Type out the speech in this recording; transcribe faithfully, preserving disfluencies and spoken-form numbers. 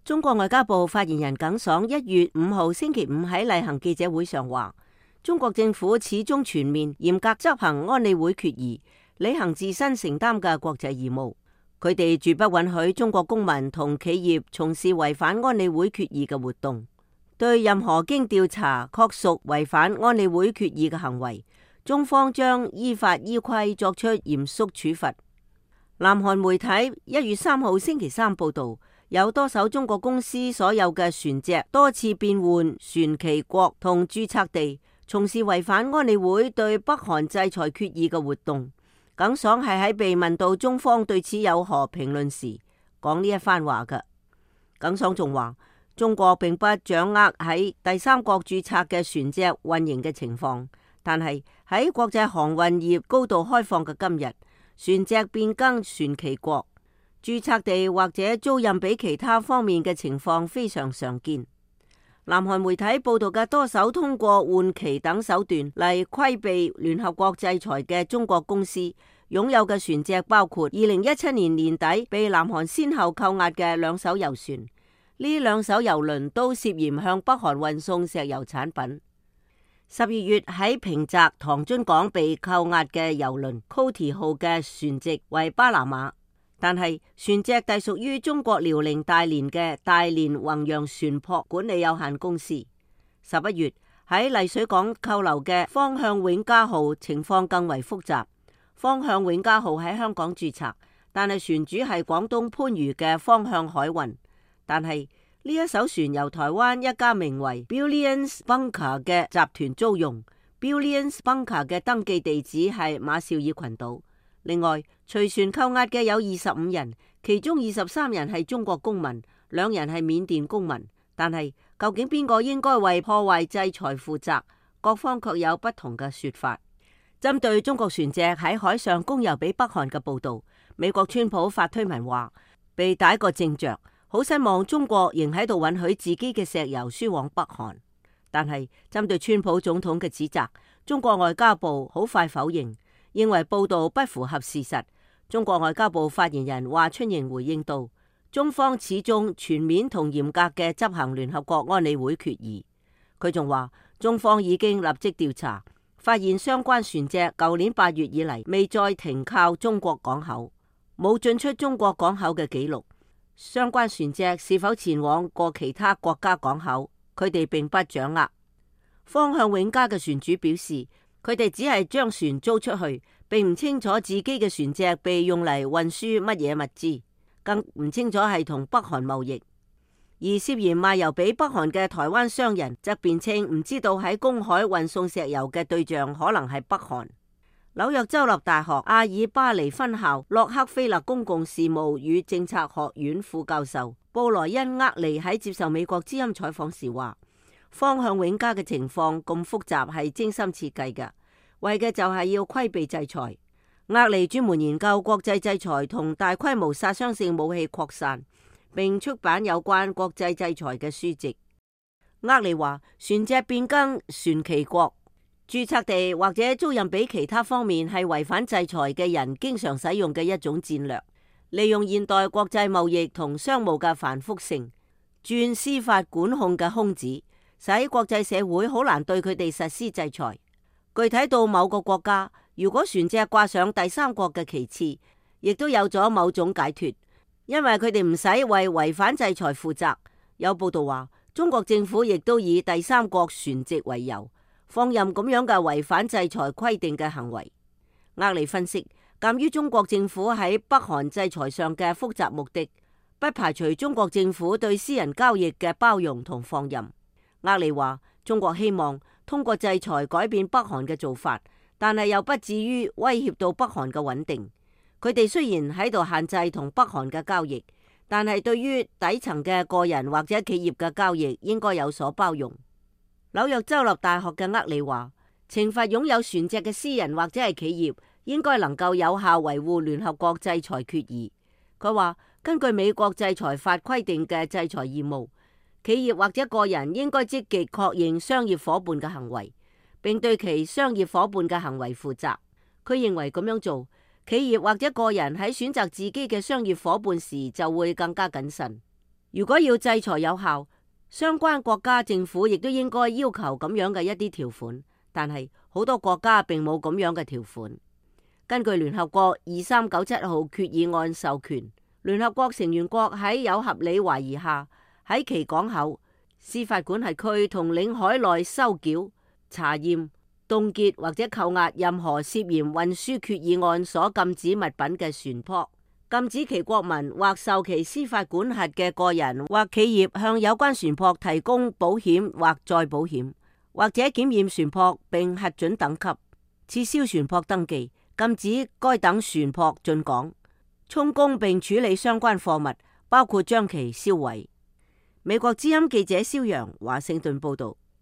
中國外交部發言人耿爽一月五號星期五喺例行記者會上話，中國政府始終全面嚴格執行安理會決議，履行自身承擔嘅國際義務。佢哋絕不允許中國公民同企業從事違反安理會決議嘅活動。對任何經調查確屬違反安理會決議嘅行為，中方將依法依規作出嚴肅處罰。南韓媒體一月三號星期三報道，有多艘中國公司所有嘅船隻多次變換船旗國同註冊地，從事違反安理會對北韓制裁決議嘅活動。耿爽係喺被問到中方對此有何評論時講呢一番話嘅。耿爽仲話，中國並不掌握喺第三國註冊嘅船隻運營嘅情況，但係喺國際航運業高度開放嘅今日，船隻變更船旗國、註冊地或者租賃俾其他方面嘅情況非常常見。南韓媒體報道嘅多艘通過換旗等手段嚟規避聯合國制裁嘅中國公司擁有嘅船隻，包括二零一七年年底被南韓先後扣押嘅兩艘油船。呢兩艘油輪都涉嫌向北韓運送石油產品。十二月喺平澤唐津港被扣押嘅油輪 Coty 號嘅船籍為巴拿馬，但係船隻隸屬於中國遼寧大連嘅大連宏洋船舶管理有限公司。十一月喺麗水港扣留嘅方向永嘉號情況更為複雜。方向永嘉號喺香港註冊，但係船主係廣東番禺嘅方向海運，但係呢一艘船由台灣一家名為 Billions Bunker 嘅集團租用。 Billions Bunker 嘅登記地址係馬紹爾群島。另外，隨船扣押嘅有二十五人，其中二十三人係中國公民，兩人係緬甸公民。但係究竟邊個應該為破壞制裁負責，各方卻有不同嘅說法。針對中國船隻喺海上供油俾北韓嘅報道，美國川普發推文話被打個正着，好失望中國仍喺度允許自己嘅石油輸往北韓。但係針對川普總統嘅指責，中國外交部好快否認，認為報道不符合事實。中國外交部發言人華春瑩回應道，中方始終全面同嚴格嘅執行聯合國安理會決議。佢仲話，中方已經立即調查，發現相關船隻舊年八月以嚟未再停靠中國港口，冇進出中國港口嘅記錄。相關船隻是否前往過其他國家港口，佢哋並不掌握。方向永嘉嘅船主表示，佢哋只係將船租出去，並唔清楚自己嘅船隻被用嚟運輸乜嘢物資，更唔清楚係同北韓貿易。而涉嫌賣油俾北韓嘅台灣商人則辯稱唔知道喺公海運送石油嘅對象可能係北韓。紐約州立大學阿爾巴尼分校洛克菲勒公共事務與政策學院副教授布萊恩厄利喺接受美國之音採訪時話，方向永嘉嘅情況咁複雜係精心設計嘅，為嘅就係要規避制裁。厄利專門研究國際制裁同大規模殺傷性武器擴散，並出版有關國際制裁嘅書籍。厄利話，船隻變更船旗國、註冊地或者租賃俾其他方面係違反制裁嘅人經常使用嘅一種戰略，利用現代國際貿易同商務嘅繁複性，鑽司法管控嘅空子，使國際社會好難對佢哋實施制裁。具體到某個國家，如果船隻掛上第三國嘅旗幟，亦都有咗某種解脫，因為佢哋唔使為違反制裁負責。有報道話，中國政府亦都以第三國船籍為由，放任咁樣嘅違反制裁規定嘅行為。厄利分析，鑒於中國政府喺北韓制裁上嘅複雜目的，不排除中國政府對私人交易嘅包容同放任。厄利話，中國希望通過制裁改變北韓嘅做法，但係又不至於威脅到北韓嘅穩定。佢哋雖然喺度限制同北韓嘅交易，但係對於底層嘅個人或者企業嘅交易應該有所包容。紐約州立大學嘅厄利話，懲罰擁有船隻嘅私人或者係企業，應該能夠有效維護聯合國制裁決議。佢話，根據美國制裁法規定嘅制裁義務，企業或者個人應該積極確認商業夥伴嘅行為，並對其商業夥伴嘅行為負責。佢認為咁樣做，企業或者個人喺選擇自己嘅商業夥伴時就會更加謹慎。如果要制裁有效，相關國家政府亦都應該要求咁樣嘅一啲條款，但係好多國家並冇咁樣嘅條款。根據聯合國二三九七號決議案授權，聯合國成員國喺有合理懷疑下，喺其港口、司法管轄區同領海內收繳、查驗、凍結或者扣押任何涉嫌運輸決議案所禁止物品嘅船舶，禁止其國民或受其司法管轄嘅個人或企業向有關船舶提供保險或再保險，或者檢驗船舶並核准等級，撤銷船舶登記，禁止該等船舶進港，充公並處理相關貨物，包括將其銷毀。美國之音記者蕭陽華盛頓報道。